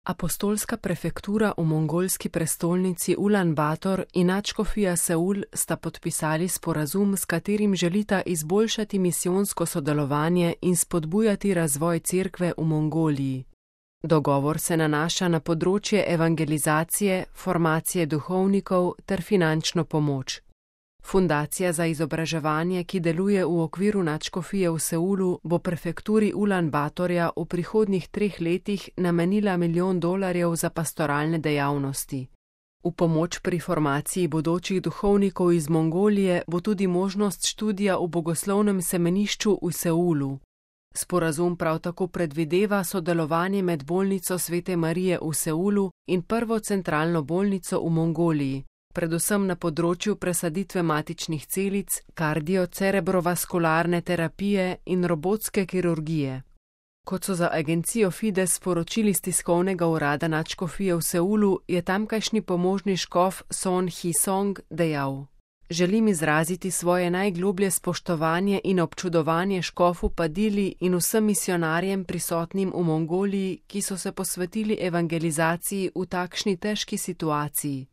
Apostolska prefektura v mongolski prestolnici Ulan Bator in nadškofija Seul sta podpisali sporazum, s katerim želita izboljšati misijonsko sodelovanje in spodbujati razvoj cerkve v Mongoliji. Dogovor se nanaša na področje evangelizacije, formacije duhovnikov ter finančno pomoč. Fundacija za izobraževanje, ki deluje v okviru nadškofije v Seulu, bo prefekturi Ulan Batorja v prihodnjih 3 letih namenila $1 milijon za pastoralne dejavnosti. V pomoč pri formaciji bodočih duhovnikov iz Mongolije bo tudi možnost študija v bogoslovnem semenišču v Seulu. Sporazum prav tako predvideva sodelovanje med bolnico Svete Marije v Seulu in prvo centralno bolnico v Mongoliji, predvsem na področju presaditve matičnih celic, kardio-cerebrovaskularne terapije in robotske kirurgije. Kot so za agencijo Fides sporočili z tiskovnega urada nadškofije v Seulu, je tamkajšnji pomožni škof Son Hi-song dejal: "Želim izraziti svoje najgloblje spoštovanje in občudovanje škofu Padili in vsem misionarjem prisotnim v Mongoliji, ki so se posvetili evangelizaciji v takšni težki situaciji.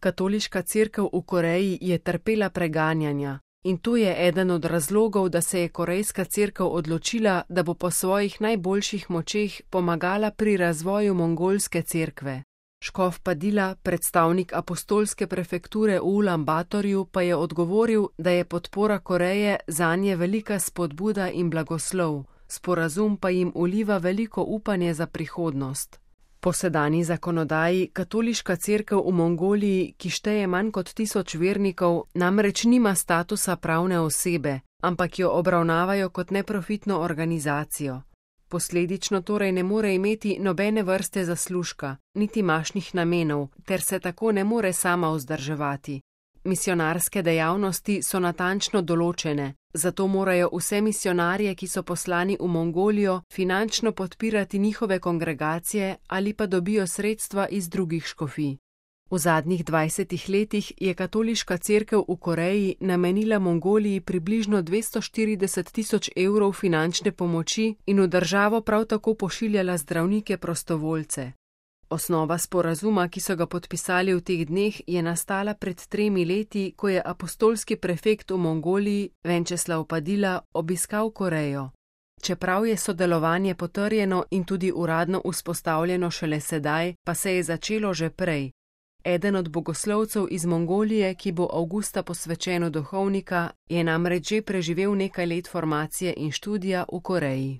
Katoliška cerkev v Koreji je trpela preganjanja in to je eden od razlogov, da se je korejska cerkev odločila, da bo po svojih najboljših močeh pomagala pri razvoju mongolske cerkve." Škof Padila, predstavnik apostolske prefekture v Ulan Batorju, pa je odgovoril, da je podpora Koreje zanje velika spodbuda in blagoslov, sporazum pa jim vliva veliko upanje za prihodnost. Po sedanji zakonodaji katoliška cerkev v Mongoliji, ki šteje manj kot 1000 vernikov, namreč nima statusa pravne osebe, ampak jo obravnavajo kot neprofitno organizacijo. Posledično torej ne more imeti nobene vrste zaslužka, niti mašnih namenov, ter se tako ne more sama vzdrževati. Misionarske dejavnosti so natančno določene, zato morajo vse misionarje, ki so poslani v Mongolijo, finančno podpirati njihove kongregacije ali pa dobijo sredstva iz drugih škofij. V zadnjih 20 letih je katoliška cerkev v Koreji namenila Mongoliji približno 240 000 evrov finančne pomoči in v državo prav tako pošiljala zdravnike prostovoljce. Osnova sporazuma, ki so ga podpisali v teh dneh, je nastala pred 3 leti, ko je apostolski prefekt v Mongoliji, Venčeslav Padila, obiskal Korejo. Čeprav je sodelovanje potrjeno in tudi uradno vzpostavljeno šele sedaj, pa se je začelo že prej. Eden od bogoslovcev iz Mongolije, ki bo avgusta posvečen v duhovnika, je namreč že preživel nekaj let formacije in študija v Koreji.